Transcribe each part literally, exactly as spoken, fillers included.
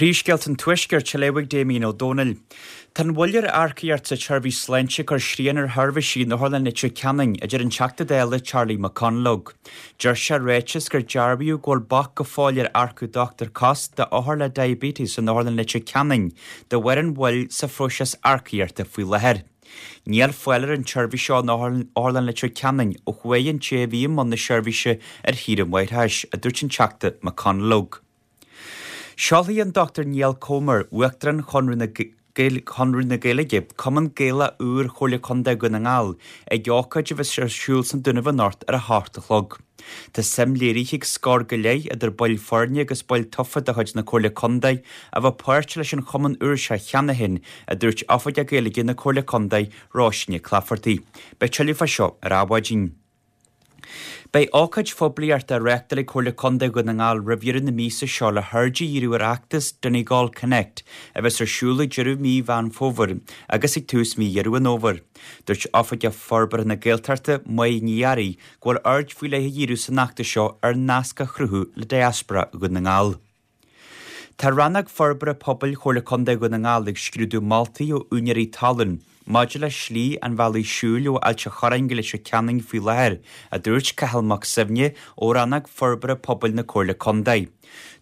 Príomhscéalta an Tuaiscirt á léamh ag Damien Ó Dónaill. Tá an mhoill ar earcaíocht sa tseirbhís sláinte ag cur srian ar sheirbhísí in Otharlann Leitir Ceanainn, a deir an Teachta Dála Charlie McConalogue. Deir sé i ráiteas gur dearbhaíodh go bhfuil bac go fóill ar earcú dochtúir cos d'othair le diabetes in Otharlann Leitir Ceanainn de bharr an mhoill sa phróiseas earcaíochta faoi láthair. Níl fáil ar an tseirbhís seo in Otharlann Leitir Ceanainn ó chuaigh an té a bhí i mbun na seirbhíse ar shaoire máithreachais, a dúirt an Teachta McConalogue. Seolfaidh an Dochtúir Niall Comer, Uachtarán Chonradh na Chonradh na Gaeilge, Cumann Gaelach úr Chomhairle Contae Dhún na nGall, ag ócáid a bheas ar siúl sa Dúnaibh anocht ar a hocht a chlog. Tá suim léirithe ag scór go leith idir baill foirne agus baill tofa de chuid na Comhairle Contae a bheith páirteach leis an chumann úr seo cheana féin, a dúirt Oifigeach Gaeilge na Comhairle Contae, Róisín Nic Laifeartaigh. Beidh tuilleadh fá seo ar Adhmhaidin. Beidh ócáid phoiblíochta á reáchtáil ag Comhairle Contae Dhún na nGall roimh dheireadh na míosa seo le haird a dhíriú ar fheachtas Donegal Connect a bheas ar siúl ag deireadh mí Mheán Fómhair agus ag tús mí Dheireadh an Fhómhair. Dúirt Oifigeach Forbartha na Gaeltachta, Máire Ní Fhearraigh, go bhfuil aird faoi leith á dhíriú san fheachtas seo ar nasc a chruthú le diaspora Dhún na nGall. Tá Rannóg Forbartha Pobail Chomhairle Contae Dhún na nGall ag scrúdú moltaí ó úinéirí talún maidir le slí an bhealaigh siúil ó Ailt an Chorráin go Leitir Ceanainn faoi láthair, a dúirt Cathal Mac Suibhne ó Rannóg Forbartha Pobail na Comhairle Contae.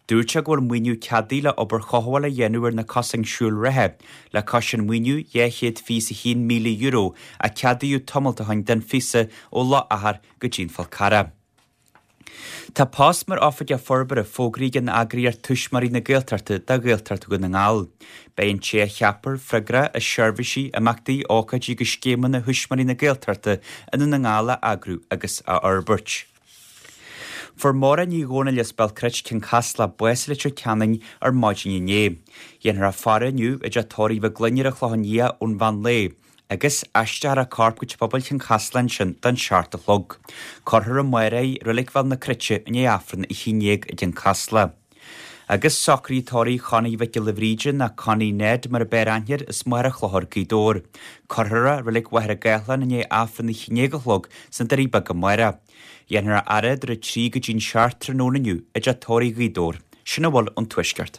Dúirt sé go bhfuil maoiniú ceadaithe le obair chothabhála a dhéanamh ar na cosáin siúil reatha, le cois an mhaoiniú dhá chéad fiche is a haon míle euro a ceadaíodh tamall ó shin don phíosa ó Loch Achar go dtí an Fál Carrach. Tá post mar Oifigeach Forbartha fógraithe ag an eagraíocht Tuismitheoirí na Gaeltachta do Ghaeltacht Dhún na nGall. Beidh an té a cheapfar freagrach as seirbhísí, imeachtaí, ócáidí agus scéimeanna Thuismitheoirí na Gaeltachta i nDún na nGall a eagrú agus a fhorbairt. Fuair Máire Ní Dhomhnaill as Béal Cruit Cionn Caslach bás i Leitir Ceanainn ar maidin inné. Dhéanfar a faire inniu i dteach tórraimh Mhic Gloinn ar an Chlochán Liath ón mheán lae, agus aistreofar a corp go teach pobail Chionn Caslach ansin don seacht a chlog. Cuirfear amárach í i Reilig Bhéal na Cruite i ndiaidh Aifreann a haon déag i gCionn Caslach. Agus socruithe tórraimh Chonnie Mhic Giolla Bhríde nó Connie Ned mar a b'fhearr aithne air as Machaire Chlochair Gaoth Dobhair. Cuirfear é i Reilig Mhachaire Gathlán i ndiaidh Aifreann a haon déag a chlog sna Doirí Beaga amárach. Dhéanfar a fhaire idir a trí go dtí'n seacht tráthnóna inniu i dteach tórraimh Ghaoth Dobhair. Sin a bhfuil ón Tuaisceart.